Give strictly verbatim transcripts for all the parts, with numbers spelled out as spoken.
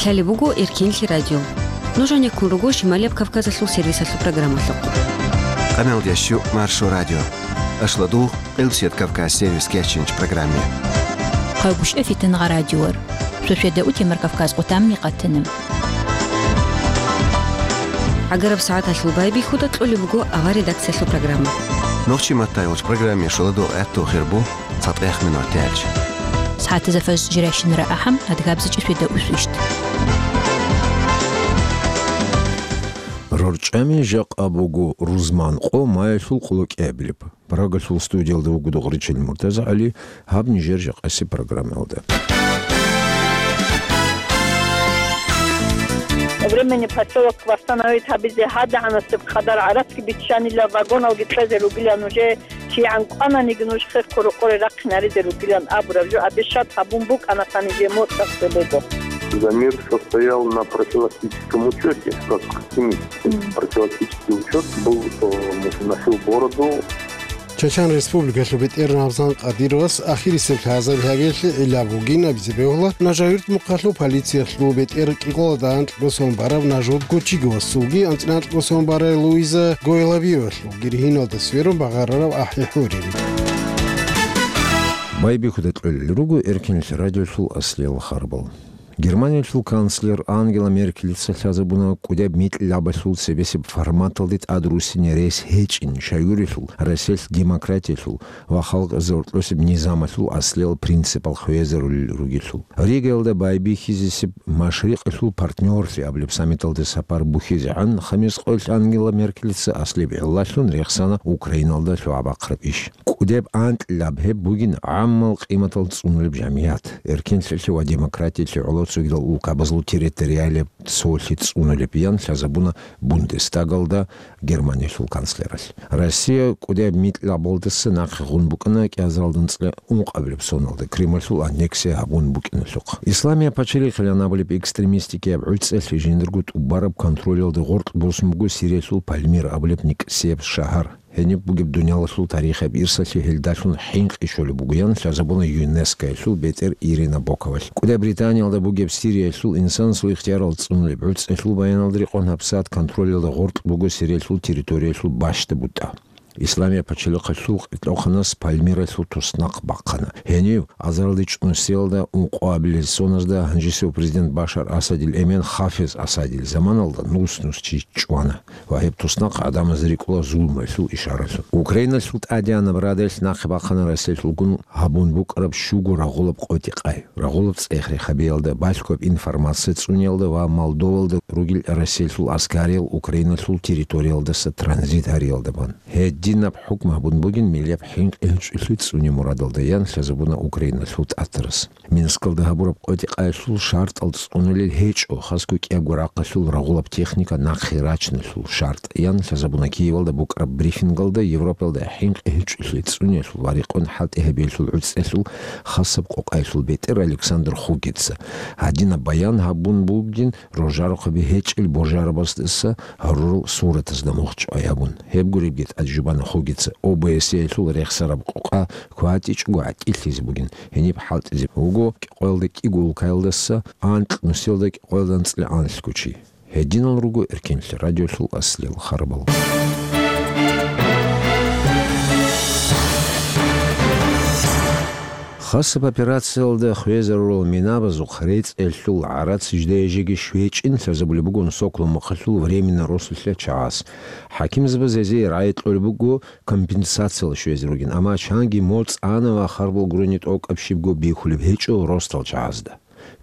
Лъалеб буго Эркенлъи радио. Нуж гьанеккун руго Шималияб Кавказалъул сервисалъул программалъухъ. Къамел дящу Маршо радио. Ашладугъ, Къилсият Кавказ сервис кечинч программе. Къагушев Фитангъа радиор. Шошеда утемар Кавказ къутамни къатанам. Агараб сагӀаталъул байбихьуда кьолеб буго авар редакциялъул программа. Нохчи маттай уч программе шоладо гӀатту хирбу. ЦатӀех минут тӀаялъ. СагӀатазда фажр жирайщинара ахӀам, адгабзичӀи шведа усвищт. РорчӀами жакъа буго рузман къо маялъул къулокӀиабилеб. Прагалъул студиялда вуго Дугъричил МуртазагӀали, гьаб нижер жакъаси программаялда. Временный посёлок восстановить гьабизе гьадагӀанасеб къадар гӀарац биччанила, вагоналги кьезе ругила нужее. КигӀан кӀвананиги нуж хехго рокъоре рахъинаризе ругилан абураб жо обещать гьабун букӀана, гьаниб моцӀалъ цебего. За мир состоял на профилактическом учёте, как оптимист. Мгм. Профилактический учёт был, э, носил бороду. Чечен Республикалъул бетӀер Рамзан Кадировас ахирисеб лъазаб гьабиялъе гӀилла бугин абизе бегьула Нажагьюрт мухъалъул полициялъул бетӀер кӀикъоялда анкьго сон бараб Нажут Гочиговасулги анцӀила анкьго сон барай Луиза Гойлабиевалъул. Гиргьиналда сверун багъарараб ахӀи хӀурин. Байбихьуда кьолел руго Эркенлъи радиолъул аслиял харбал. Германиялъул канцлер Ангела Меркелица лъазабуна кӀудияб микьлабалъул цебесеб форматалде тӀад руссине рес гьечӀин, щайгурелъул Россиялъ демократиялъул ва халкъазе гьоркьосеб низамалъул аслиял принципал хвезарулел ругелъул. Ригаялда байбихьизесеб Машрикъалъул партнёрлъи абулеб саммиталде сапар бухьизегӀан, хамис къоялъ Ангела Меркелица аслияб гӀиллалъун рехсана Украиналда лъугӀа-бахъраб иш. КӀудеб анкьилаб гьеб бугин гӀаммал къиматал цӀунулеб жамигӀат, эркенлъиялъе ва демократиялъе гӀоло цогидал улкабазул территориалияб цолъи цӀунулеб, ян лъазабуна Бундестагалда Германиялъул канцлералъ. Россия кӀудияб микьлабалдаса нахъе гъун букӀана кӀиазаралда анцӀила ункъабилеб соналда Кремльлъул аннексия гьабун букӀиналъухъ. Исламияб пачалихъилан абулеб экстремистикияб гӀуцӀалъи жиндирго тӀубараб контролялда гъоркь босун буго Сириялъул Пальмира абулеб никӀсияб шагьар. Гьениб бугеб дуниялалъул тарихияб ирсалъе гьелдалъун хӀинкъи щолеб буго, ян лъазабуна ЮНЕСКОялъул бетӀер Ирина Боковалъ. КӀудияб Британиялда бугеб Сириялъул инсанасул ихтиярал цӀунулеб гӀуцӀалъул баяналда рекъон гьабсагӀат контролялда гъоркь буго Сириялъул территориялъул бащда бутӀа. Исламияб пачалихъалъул кьерхӀехъанас Пальмиралъул туснахъ бахъана. Гьенив азаралда чӀунусиялда ункъоабилеб соназда гьанжесев президент Башар Асадил эмен Хафиз Асадил заманалда нус-нус чи чӀвана ва гьеб туснахъ гӀадамазда рикӀкӀула зулмуялъул ишаралъун. Украиналъул тӀадегӀанаб радалъ нахъе бахъана Россиялъулгун гьабун букӀараб щуго рагъулаб къотӀи-къай. Рагъулаб цӀех-рехабиялда балъгояб информация цӀуниялда ва Молдовалда ругел Россиялъул аскариял Украиналъул территориялдаса транзит гьариялда бан. Гьединаб хӀукму гьабун бугин миллияб хӀинкъи-гьечӀолъи цӀуне мурадалда, ян лъазабуна Украиналъул тӀатарас. Минскалда гьабураб къотӀи-къайалъул шартӀал цӀунулел гьечӀо, хасго кӀиябго рахъалъул рагъулаб техника нахъе рачиналъул шартӀ, ян лъазабуна Киевалда букӀараб брифингалда Европалда хӀинкъи-гьечӀолъи цӀуниялъул ва рекъон хӀалтӀи гьабиялъул гӀуцӀалъул хасаб къокъаялъул бетӀер Александр Хугица. Гьадинаб баян гьабун бугин рожарухъаби гьечӀел божарабаздаса гьарурал суратазда мухчӀвай гьабун. Гьеб гуребги тӀад жубана Хугица ОБСЕ-ялъул рехсараб къокъа кватӀичӀого гӀатӀилъизе бугин, гьениб хӀалтӀизе вуго кӀикъоялда кӀиго улкаялдаса анкь нусиялда кӀикъоялда анцӀила анлъго чи. Гьединал руго Эркенлъи радиолъул аслиял харбал. Хасаб операциялда хвезарурал минабазухъ рецӀелъул гӀарац жидее-жеги щвечӀин лъазабулеб бугун Соколов мухъалъул временно росулъа чагӀаз. ХӀакимзабаз гьезие рагӀи кьолеб буго компенсациялъ щвезе ругин, амма чанги моцӀ ана ва харбал гурони тӀокӀаб щибго бихьулеб гьечӀо росдал чагӀазда.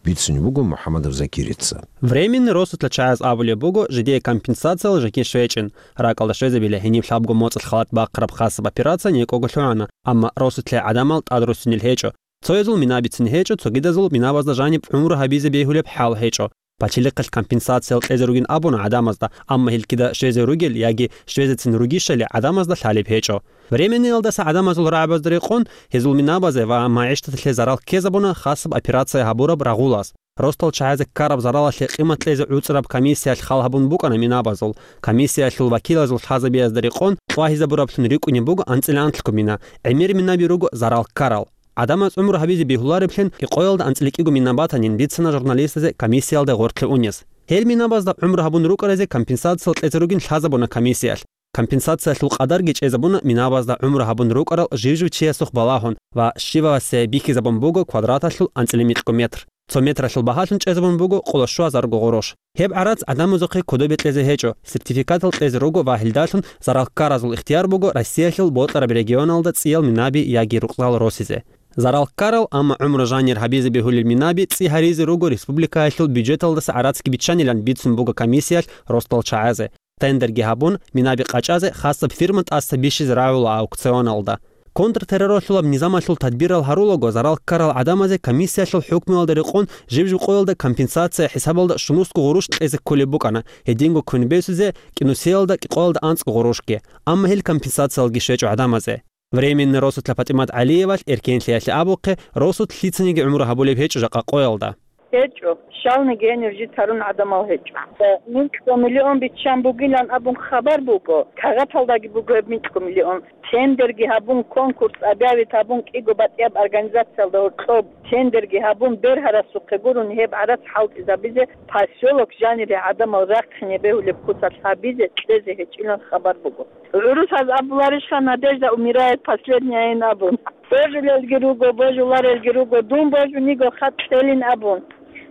Бицунеб буго МухӀаммадов Закирица. Временный росулъа чагӀаз абулеб буго, жидее компенсациялъ жеги щвечӀин, ракӀалда щвезабила гьениб лъабго моцӀалъ халат бахъараб хасаб операция некӀого лъугӀана, амма росулъе гӀадамал тӀадруссинел гьечӀо. Цоязул мина бицин гьечӀо, цогидазул минабазда жаниб гӀумру гьабизе бегьулеб хӀал гьечӀо. Пачалихъалъ компенсациялъ кьезе ругин абуна гӀадамазда, амма гьелкида щвезе ругел яги щвезецин ругищали гӀадамазда лъалеб гьечӀо. Временныйялдаса гӀадамазул рагӀабазда рекъон, гьезул минабазе ва магӀишаталъе зарал ккезабуна хасаб операция гьабураб рагъулаз. Росдал чагӀазе ккараб заралалъе къимат кьезе гӀуцӀараб комиссиялъ хал гьабун букӀана минабазул. Комиссиялъул вакилазул лъазабиязда рекъон кьвагьизабураблъун рикӀкӀунеб буго анцӀила анлъго мина, гӀемер минаби руго зарал ккарал. ГӀадамаз гӀумру гьабизе бегьулареблъин кӀикъоялда анцӀила кӀиго мина батанин бицана журналистазе комиссиялда гъоркье унез. Гьел минабазда гӀумру гьабун рукӀаразе компенсациялъ кьезе ругин лъазабуна комиссиялъ. Компенсациялъул къадарги чӀезабуна минабазда гӀумру гьабун рукӀарал жив-жив чиясухъ балагьун ва щивасе бихьизабун буго квадраталъул анцӀила микьго метр. Цо метралъул багьалъун чӀезабун буго къоло щуазарго гъурущ. Гьеб гӀарац гӀадамазухъе кодобе кьезе гьечӀо, сертификатал кьезе руго ва гьелдалъун зарал ккаразул ихтияр буго Россиялъул бокьараб регионалда цӀиял минаби яги рукъзал росизе. Зарал ккарал, амма гӀумру жанир гьабизе бегьулел минаби цӀи гьаризе руго республикаялъул бюджеталдаса гӀарацги биччанилан бицун буго комиссиялъ росдал чагӀазе. Тендерги гьабун, минаби къачӀазе хасаб фирма тӀаса бищизе рагӀула аукционалда. Контртерроралъулаб низамалъул тадбирал гьарулаго зарал ккарал гӀадамазе комиссиялъул хӀукмуялда рекъон жиб-жиб къоялда компенсация хӀисабалда щунусго гъурущ кьезе кколеб букӀана, гьединго квен бесузе кӀинусиялда кӀикъоялда анцӀго гъурущги, амма гьел компенсациялги щвечӀо гӀадамазе. Временный росулъа ПатӀимат ГӀалиевалъ Эркенлъиялъе абухъе, росулъ лъицаниги гӀумру гьабулеб гьечӀо жакъа къоялда. ГьечӀо, щалниги гьенив жит гьарун гӀадамал гьечӀо. Микьго миллион биччан бугилан абун хабар буго, кагъаталдаги буго гьеб микьго миллион. Тендерги гьабун, конкурс объявить гьабун, кӀиго батӀияб организациялда гьоркьоб тендерги гьабун, бергьарасухъе гурун гьеб гӀарац хӀалтӀизабизе, поселок жанире гӀадамал рахъине бегьулеб куцалъ гьабизе кьезе гьечӀилан хабар буго. ГӀурусаз абуларищха: «Надежда умирает последняя», ин абун. Божулелги руго, божуларелги руго, дун божуниго хатӀ кьелин абун.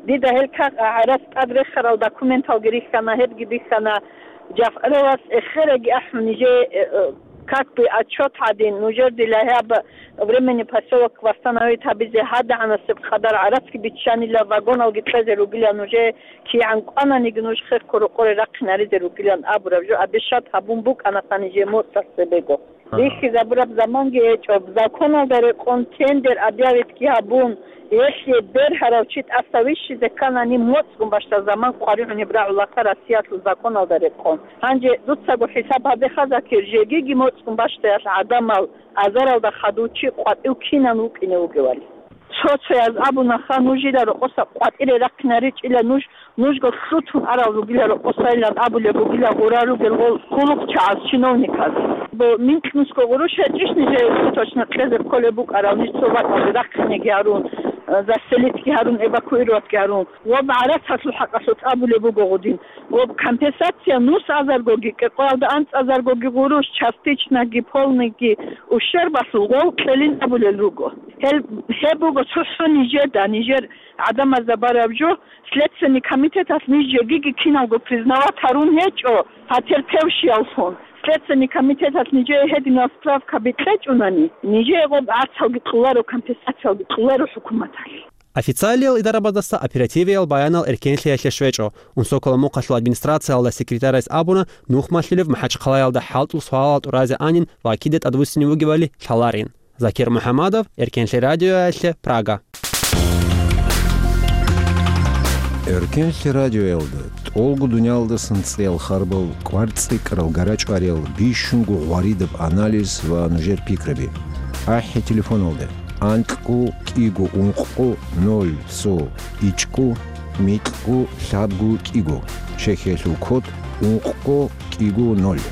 Дида гьел кагъ гӀарац тӀад рехарал документалги рихьана, гьебги бихьана. ЖафгӀаловас эхераги ахӀун, нижее, э, э, как бы отчет гьадин, нужер дила гьаб временный поселок восстановить гьабизе гьадагӀанасеб къадар гӀарацги биччанила, вагоналги кьезе ругила нужее, кигӀан кӀвананиги нуж хехго рокъоре рахъинаризе ругилан абураб жо обещать гьабун букӀана нижее моцӀалъ цебего. Ага. Бихьизабураб заманги гьечӀо, законалда рекъон тендер объявитги гьабун, гьелъие бергьарав чи тӀаса вищизе кканани, моцӀгун бащдаб заман къваригӀунеб рагӀулаха Россиялъул законалда рекъон. Гьанже дуцаго хӀисаб гьабеха, Закир, жегиги моцӀгун бащдаял гӀадамал азаралда хадув чи къватӀив кинан вукӀине вугевали. Цо-цояз абунаха, нуж жила рокъоса къватӀире рахъинаричӀила нуж, нужго лъутун арал ругила рокъосайилан абулеб бугила гъура ругел гъол кулухъчагӀаз, чиновниказ. Бо микьнусго гъурущ гьечӀищ нижее точно кьезе кколеб букӀарал, ниж цо бакӀалде рахъинеги гьарун, э, заселитги гьарун, эвакуироватги гьарун. Ва гӀарацалъул хӀакъалъулъ абулеб буго гъудин. Ва компенсация нус азаргоги, кӀикъоялда анцӀазаргоги гъурущ, частичноги, полныйги ущербалъул гъов кьелин абулел руго. Гьел, гьеб буго цохӀо нижеда, нижер гӀадамазда бараб жо, Следственный комитеталъ ниж жегиги киналго признавать гьарун гьечӀо, потерпевшияллъун. Следственный комитеталъ нижее гьединал справкаби кьечӀунани, нижее гъоб гӀарцалги кьоларо, компенсациялги кьоларо хӀукуматалъ. Официалиял идарабаздаса оперативиял баянал Эркенлъиялъе щвечӀо. Унсокола мухъалъул администрациялда секретарас абуна, нух малъулев МахӀачхъалаялда хӀалтӀул суалал тӀуразе анин ва кида тӀадвуссине вугевали лъаларин. Закир МухӀамадов, Эркенлъи радиоялъе, Прага. Эркенлъи радиоялда тӀолго дуниялдасан цӀиял харбал, кӀвар-цӀикӀкӀарал, гарачӀвариял, бищунго гъваридаб анализ ва нужер пикраби. АхӀи телефоналда: анкьго кӀиго ункъго ноль цо ичӀго микьго лъабго кӀиго. Чехиялъул код: ункъго кӀиго ноль.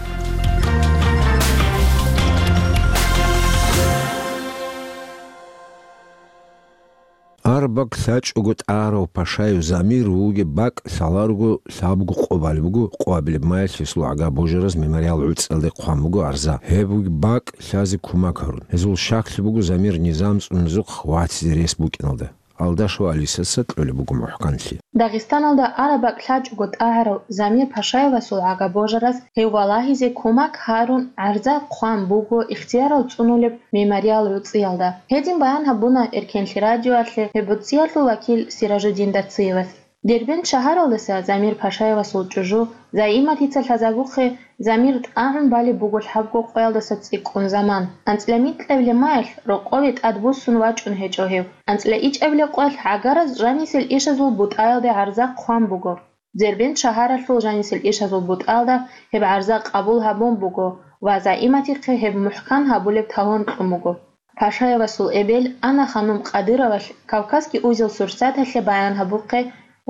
Араб бакӀ лъачӀого тӀагӀарав Пашаев Замир вугеб бакӀ лъаларого лъабго къо балеб буго, къо абилеб маялъ гьесул гӀага божараз мемориал гӀуцӀиялде хъван буго гӀарза. Гьеб вугеб бакӀ лъазе кумак гьарун. Гьезул щаклъи буго Замир низам цӀунезухъ вацӀизе рес букӀиналда. Алдашева Алисаца кьолеб буго мухӀканлъи. Дагъистаналда араб бакӀ лъачӀого тӀагӀарав Замир Пашаевасул гӀага божараз гьев валагьизе кумак гьарун гӀарза хъван буго ихтиярал цӀунулеб мемориал гӀуцӀиялда. Гьедин баян гьабуна Эркенлъи радиоялъе гьеб гӀуцӀиялъул вакил Сиражуддин Дациевас. Дербент шагьаралдаса Замир Пашаевасул чӀужу Заиматица лъазабухъе Замир тӀагӀун балеб буго лъабго къоялдаса цӀикӀкӀун заман. АнцӀила микьабилеб маялъ рокъове тӀадбуссун вачӀун гьечӀо гьев. АнцӀила ичӀабилеб къоялъ гӀагараз жанисел ишазул бутӀаялде гӀарза хъван буго. Дербент шагьаралъул жанисел ишазул бутӀаялда гьеб гӀарза къабул гьабун буго ва Заиматихъе гьеб мухӀкан гьабулеб талон кьун буго. Пашаевасул эбел Анна-ханум Къадыровалъ Кавказский узел сурсаталъе баян гьабухъе,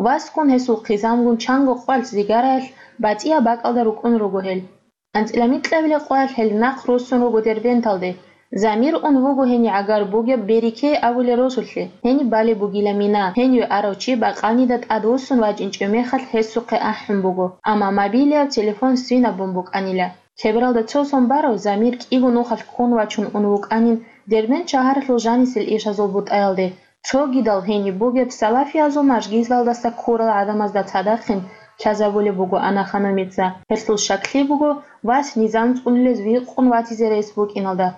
васгун гьесул хъизамгун чанго къвалъ Зигараялъ батӀияб бакӀалда рукӀун руго гьел. АнцӀила микьабилеб къоялъ гьел нахъ руссун руго Дербенталде. Замир ун вуго гьенив гӀагар бугеб Берике абулеб росулъе, гьениб балеб бугила мина, гьениве арав чи бакъанида тӀадвуссун вачӀинчӀев мехалъ гьесухъе ахӀун буго, амма мобилияб телефон свинаб бун букӀанила. Кебералда цо сон барав Замир кӀиго нухалъ ккун вачун ун вукӀанин Дербент шагьаралъул жанисел ишазул бутӀаялде, цогидал гьениб бугеб салафиязул мажгиталдаса ккурал гӀадамазда цадахъин лъазабулеб буго Анна Ханумица. Гьелъул щаклъи буго вас низам цӀунулез викъун ватизе рес букӀиналда.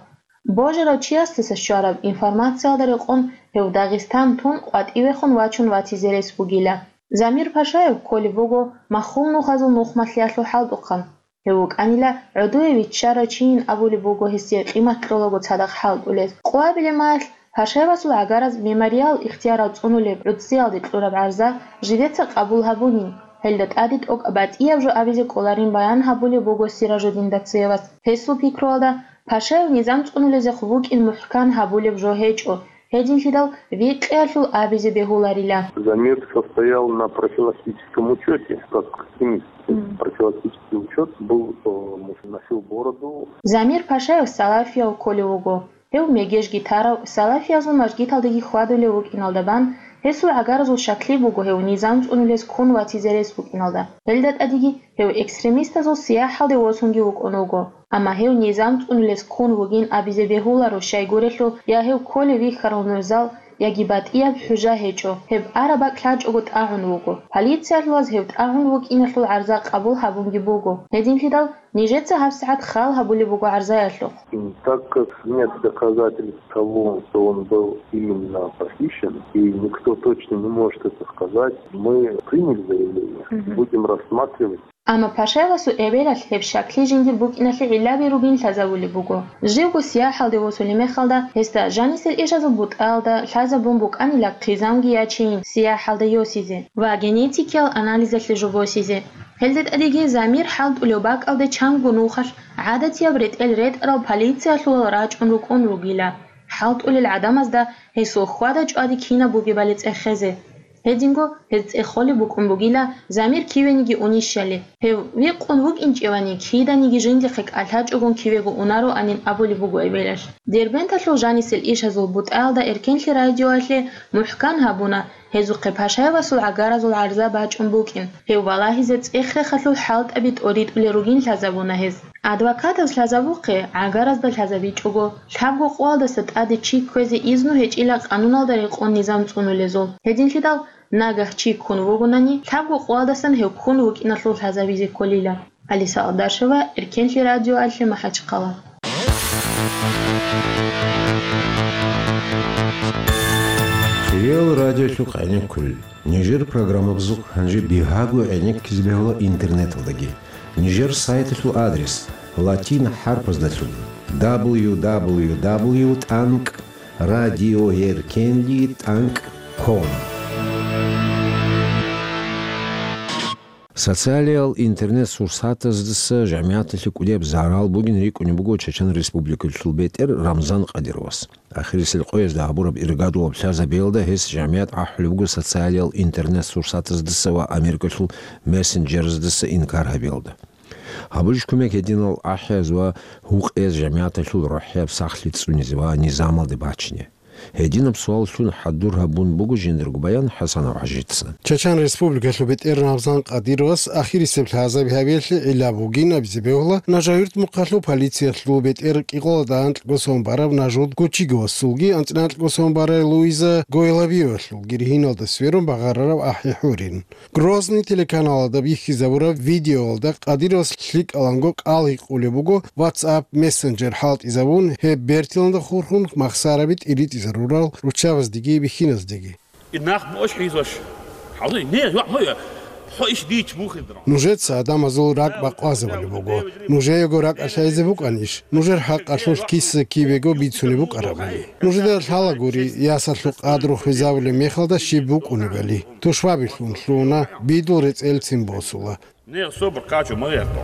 Божарав чиясдаса щвараб информациялда рекъон гьев Дагъистан тун къватӀивехун вачун ватизе рес бугила. Замир Пашаев кколеб буго маххул нухазул нухмалъиялъул хӀалтӀухъан. Гьев вукӀанила гӀодове виччарав чийин абулеб буго гьесие къимат кьолаго цадахъ хӀалтӀулез. Къоабилеб мехалъ Пашаевасул гӀагараз мемориал ихтиярал цӀунулеб гӀурцӀиялде кьураб гӀарза жидеца къабул гьабунин, гьелда тӀаде тӀокӀаб батӀияб жо абизе кӀоларин баян гьабулеб буго Сиражуддин Дацеевас. Гьесул пикруялда, Пашаев низам цӀунулезехъ вукӀин мухӀкан гьабулеб жо гьечӀо, гьединлъидал викъиялъул абизе бегьуларила. Замир состоял на профилактическом учёте, как активист. Мгм. Профилактический учёт был, э, носил бороду. Замир Пашаев салафияв кколев вуго. Гьев мегеж гитарав, салафиязул мажгиталдаги хьвадулев вукӀиналда бан, гьесул гӀагаразул щаклъи буго гьев низам цӀунулез ккун ватизе рес букӀиналда. Гьелда тӀадеги гьев экстремистазул сияхӀалде восунги вукӀун вуго. Амма гьев низам цӀунулес ккун вугин абизе бегьуларо, щайгурелъул я гьев кколев вихьарал нурзал, яги батӀияб хӀужа гьечӀо, гьеб араб бакӀ лъачӀого тӀагӀун вуго. Полициялъулаз гьев тӀагӀун вукӀиналъул гӀарза къабул гьабунги буго. Гьединлъидал нижеца гьабсагӀат хал гьабулеб буго гӀарзаялъухъ. Так как нет доказательств того, что он был именно похищен, и никто точно не может это сказать, мы приняли заявление, Мгм. будем рассматривать. Амма Пашаевасул эбелалъ гьеб щаклъи жиндир букӀиналъе гӀиллаби ругин лъазабулеб буго. Живго сияхӀалде восулеб мехалда, гьесда жанисел ишазул бутӀаялда лъазабун букӀанила хъизамги ячейин сияхӀалде йосизе ва генетикиял анализалъе жо босизе. Гьелда тӀадеги Замир хӀалтӀулев бакӀалде чанго нухалъ гӀадатияб ретӀел ретӀарал полициялъулал рачӀун рукӀун ругила, хӀалтӀулел гӀадамазда гьесул хьвада-чӀвади кинаб бугебали цӀехезе. Гьединго гьез цӀехолеб букӀун бугила, Замир кивениги унищали. Гьев викъун вукӀинчӀевани, киданиги жиндихъе кӀалъачӀогун кивего унароанин абулеб буго эбелалъ. Дербенталъул жанисел ишазул бутӀаялда Эркенлъи радиоялъе мухӀкан гьабуна, гьезухъе Пашаевасул гӀагаразул гӀарза бачӀун букӀин, гьев валагьизе цӀех-рехалъул хӀалтӀаби тӀоритӀулел ругин лъазабуна гьез. Адвокатаз лъазабухъе, гӀагаразда лъазабичӀого, лъабго къоялдаса тӀаде чи кквезе изну гьечӀила къануналда рекъон низам цӀунулезул. Гьединлъидал нагагь чи ккун вугонани, лъабго къоялдасан гьев ккун вукӀиналъул лъазабизе кколила. Алиса Алдашева, Эркенлъи радиоялъе, МахӀачхъала. Хириял радиолъухъ гӀенеккулел. Нижер программабазухъ гьанже бигьаго гӀенеккизе бегьула интернеталдаги. Нижер сайталъул адрес латин хӀарпаздалъун: дабл ю дабл ю дабл ю тӀанкӀ радиоэркенли тӀанкӀ ком. Социалиял интернет-сурсатаздаса жамигӀаталъе кӀудияб зарал бугин рикӀкӀунеб буго Чечен Республикалъул бетӀер Рамзан Къадировас. Ахирисел къоязда гьабураб иргадулаб лъазабиялда гьес жамигӀат ахӀулеб буго социалиял интернет-сурсатаздаса ва Америкалъул мессенджераздаса инкар гьабиялда. Гьабулищ кумек гьединал ахӀияз ва гьукъияз жамигӀаталъул рохӀияб сахлъи цӀунизе ва низамалде бачине? Гьединаб суаллъун хӀадур гьабун буго жиндирго баян ХӀасанов ХӀажица. Чечен Республикалъул бетӀер Рамзан Къадировас ахирисеб лъазаби гьабиялъе гӀилла бугин абизе бегьула Нажагьюрт мухъалъул полициялъул бетӀер кӀикъоялда анкьго сон бараб Нажуд Гучиговасулги анцӀила анкьго сон барай Луиза Гойлабиевалъулги ригьиналда сверун багъарараб ахӀи-хӀурин. Грозный телеканалалда бихьизабураб видеоялда Къадировас лъикӀаланго кӀал гьикъулеб буго WhatsApp мессенджер хӀалтӀизабун, гьеб бертиланда хурхун махсараби тӀиритӀизарурал руччабаздеги бихьиназдеги. И нах муш хӀизош. Хьалуй, не, я, моя. Хо иш дич мухиндра. Нужеца адамазул ракӀ бакъвазабулеб буго. Нужеего ракӀ лъазе букӀанищ? Нужер хӀакъалъулъ киса кибего бицунеб букӀарабали. Нужеда лъалагури, ясалъул къадру хвезабулеб мехалда щиб букӀунебали. Тушбабилъун лъуна, бидул рецӀелцин босула. Не, собр качу, магӀердо.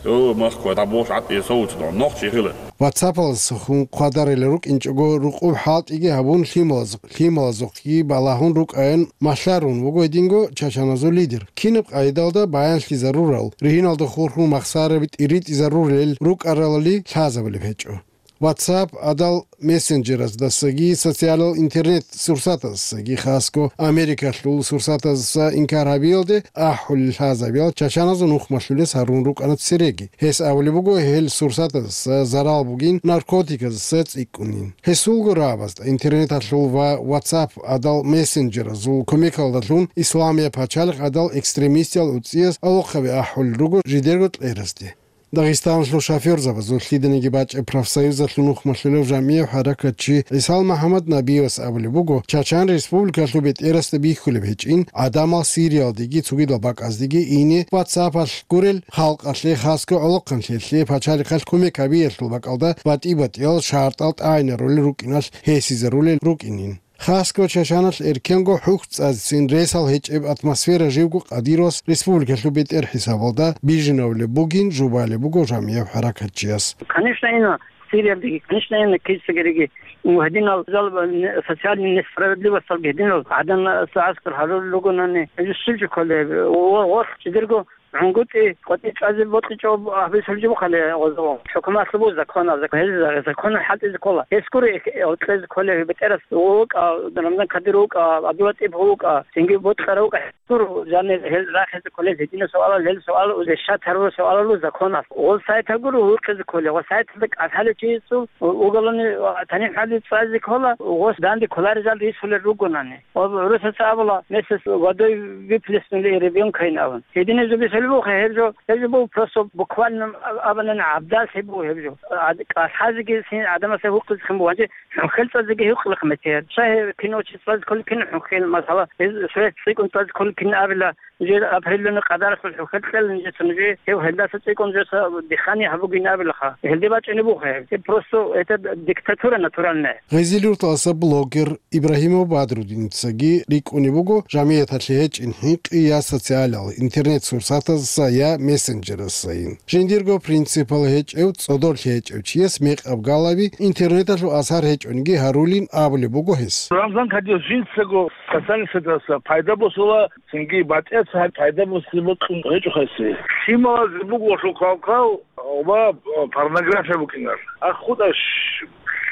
О, махква, да бош гӀатӀи соуцдо, нохчи хила. WhatsApp-аласухъун хъвадарила рукӀинчӀого рукъуб хӀалтӀиги гьабун лъималаз-, лъималазухъги балагьун рукӀаян малъарун вуго гьединго чачаназул лидер. Кинаб къайдалда баянлъизарурал, ригьиналда хурхун махсараби тӀиритӀизарурел рукӀаралали лъазабулеб гьечӀо. WhatsApp гӀадал мессенджераздасаги социалал интернет-сурсатаздасаги, хасго Америкалъул сурсатаздаса инкар гьабиялде ахӀулел лъазабиял чачаназул нухмалъулес гьарун рукӀана цереги. Гьес абулеб буго, гьел сурсатаздаса зарал бугин, наркотиказаса цӀикӀкӀунин. Гьесулго рагӀабазда интернеталъул ва WhatsApp гӀадал мессенджеразул кумекалдалъун Исламияб пачалихъ гӀадал экстремистиял уцӀияс гӀолохъаби ахӀулел руго жидерго кьеразде. Дагъистаналъул шофёрзабазул лъиданиги бачӀеб профсоюзалъул нухмалъулев жамгӀияв хӀаракатчи ГӀисал МахӀаммад Набиевас абулеб буго, Чачан Республикалъул бетӀерасда бихьулеб гьечӀин, гӀадамал Сириялдеги цогидал бакӀаздеги ине WhatsApp-алъ гурел халкъалъе, хасго гӀолохъанлъиялъе пачалихъалъ кумек гьабиялъул бакӀалда батӀи-батӀиял шартӀал тӀагӀинарулел рукӀиналъ гьесизарулел рукӀинин. Хасго Чачаналъ эркенго хӀухь цӀацӀцӀин ресал гьечӀеб атмосфера живго къадир вас республикалъул бетӀер хӀисабалда бижинавулеб бугин жубалеб буго жамгӀияв хӀаракатчияс. Конечно, ина Сириялдеги, конечно, ина кицагериги, гьединал зал-, социальный несправедливосталги гьединал гӀадан гӀаскар гьарулел ругонани, гьезул щиб жо кколеб? О, гъорлъ чидерго гӀунгутӀи, къватӀи чӀвазе бокьичӀо гьабизе лъугьинчӀебухъали гъозо. ХӀукуматлъубу законал, гьел законал хӀалтӀизе ккола. Гьес гури гьоркьезе кколев бетӀерас вукӀа, Рамзан Кадир вукӀа, ГӀабдуллатӀип вукӀа, цинги бокьарав вукӀа. Гур, жанир, гьел рахизе кколел гьединаб суалал, гьел суал решать гьарураб суалалу законал. Гъол сайтал гури гьукъизе кколел, ва сайталда кӀалъалев чиясул уголовный танихӀали цӀазе ккола, гъос данде кколарезал рисулел ругонани. Ва гӀурусаца абула, месяц водой выплеснули ребёнка ин абун. Гьединаб жо бицалебухъе гьеб жо, гьеб жо буго просто буквально абанани гӀабдаллъи буго гьеб жо. ГӀад-, кӀалъазеги син гӀадамасе гьукъизехъин буго, гьанже хӀухьел цӀазеги гьукъилахъ метер. Щай гьеб кино чи цӀазе кколел, кин хӀухьел, масала, гьез шояс цӀикӀкӀун цӀазе кколел кин абила, жер определённый къадаралъул хӀухьел кьела нижеца, нужее гьев гьелдаса цӀикӀкӀун жеса дихъани гьабугин абилаха. Гьелде бачӀунебухъе гьеб. Гьеб просто это диктатура натуральная. Гъезил юрталаса блогер Ибрагьимов Бадрудиницаги рикӀкӀунеб буго жамгӀияталъе гьечӀин хӀинкъи я социалал интернет-сурсатаздаса, я мессенджерасайин. Жиндирго принципал гьечӀев, цӀодорлъи гьечӀев чияс мекъаб галаби интернеталъул асар гьечӀониги гьарулин абулеб буго гьес. Рамзан Кадиров жинцаго социальный сетьалъа пайда босула, цинги батӀияб цо гьаб пайда босизе бокьун гьечӀо гьесие. Лъималазе буго лъухъалкъал ва порнография букӀинар. Ахъудач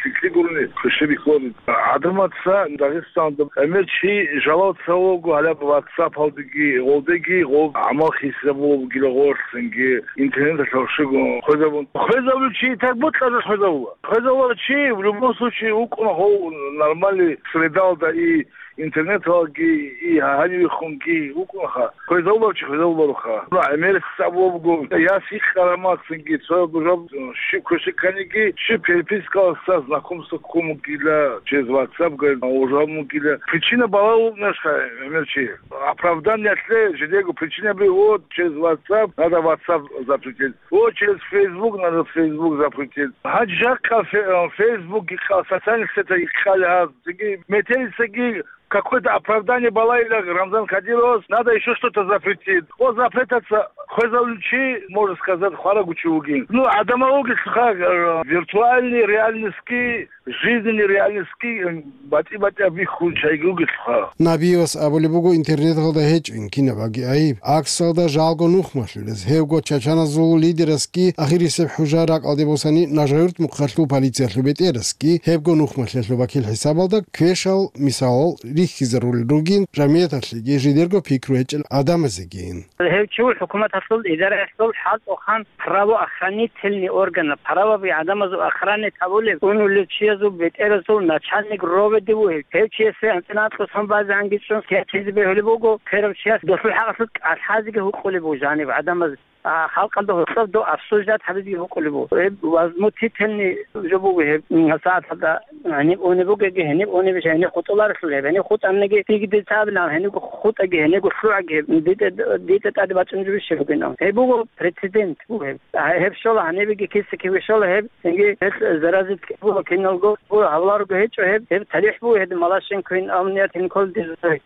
лъикӀлъи гурони, хвешабихьуларо. ГӀадамаца Дагъистаналда гӀемер чи жалал цавулаго гьалаб WhatsApp-алдеги, гъолдеги гъоб гӀамал хисабулеб бугила гъорлъинги, интернеталъ гьоршого хвезабун. Хвезабулев чи так бокьараб хвезабула. Хвезабулев чи в любом случае вукӀуна гьов нормальный средалда и интернеталги, и гьанивехунги вукӀунаха. Хвезабулев чи хвезабулароха. Ну, гӀемерисез абулеб буго, яс гьикъараб мехалъги, цояб жо щиб квешаб кканиги, щиб перепискалъа знакомство ккун бугила, через WhatsApp, говорит, ужан бугила. Причина балагьун вукӀинаха гӀемер чи. Оправданиялъе жидего причинаби, вот, через WhatsApp, надо WhatsApp запретить. Вот, через Facebook, надо Facebook запретить. Гьанже жакъа фе-, э, Facebook гьикъа, социальных сетях гьикъали гьаз. Цинги метерисаги какое-то оправдание балайила Рамзан Кадировас, надо ещё что-то запретить. О запретаца хвезабулев чи, можно сказать, хварав чи вугин. Ну, гӀадамал вугелъулха, э, виртуальный реальностьги, жизненный реальностьги, э, батӀи-батӀияб бихьун чагӀиги вугелъулха. Набиевас абулеб буго, интернеталда гьечӀин кинабаги гӀайиб, гӀаксалда жалго нухмалъулез. Гьевго чачаназул лидерасги ахирисеб хӀужа ракӀалде босани, Нажаюрт мухъалъул полициялъул бетӀерасги гьебго нухмалъиялъул вакил хӀисабалда квешал мисалал рихьизарулел ругин, жамгӀияталъеги жидерго пикру гьечӀел гӀадамазегин. Гьев чи хӀукуматалъул идараялъул хӀалтӀухъан правоохранительный органа, правоби гӀадамазул охранять гьабулев, унулев чиязул бетӀерасул начальник роведе вугев. Гьев чиясе анцӀила анкьго сон базе гьанги чӀун лъизе бегьулеб буго, херав чияс досул хӀакъалъулъ кӀалъазеги гьукъулеб буго жаниб гӀадамаз. А, халкъалда гьоркьоб дов обсуждать гьабизе гьукъулеб буго. Гьеб возмутительный жо буго гьеб, м, сагӀаталда гьениб унеб бугеги, гьениб унебищ, гьениб хутӀуларелъул гьеб. Гьениб хутӀаниги, диги дица абилан, гьенибго хутӀаги, гьенибго лъугӀаги гьеб, дитӀа, дитӀа тӀаде бачӀунеб жо бугин. Гьеб буго прецедент буго гьеб. А, гьеб щола гьанибеги киса-киве щола гьеб, цинги гьелъ заразить буго киналго, буго гьавларго гьечӀо гьеб, гьеб талихӀ буго гьеб Малашенкоян, амниятин кколдезулъ.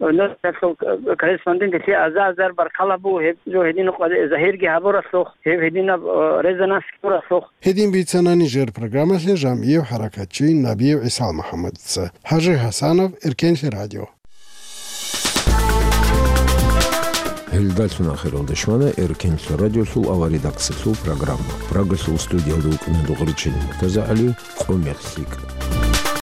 Корреспондент гьелъие азар-азар баркала буго гьеб, жо гьедин къваде-, загьирги гьабуралъухъ, гьеб гьединаб, э, резонанс гьабуралъухъ. Гьедин бицана нижер программалъе жамгӀияв хӀаракатчи Набиев ГӀисал МухӀаммадица. ХӀажи ХӀасанов, Эркенлъи радио. Гьелдалъун ахиралда щвана Эркенлъа радиолъул аварредакциялъул программа. Прагалъул студиялда вукӀана Дугъричин МуртазагӀали, къо мех лъикӀ.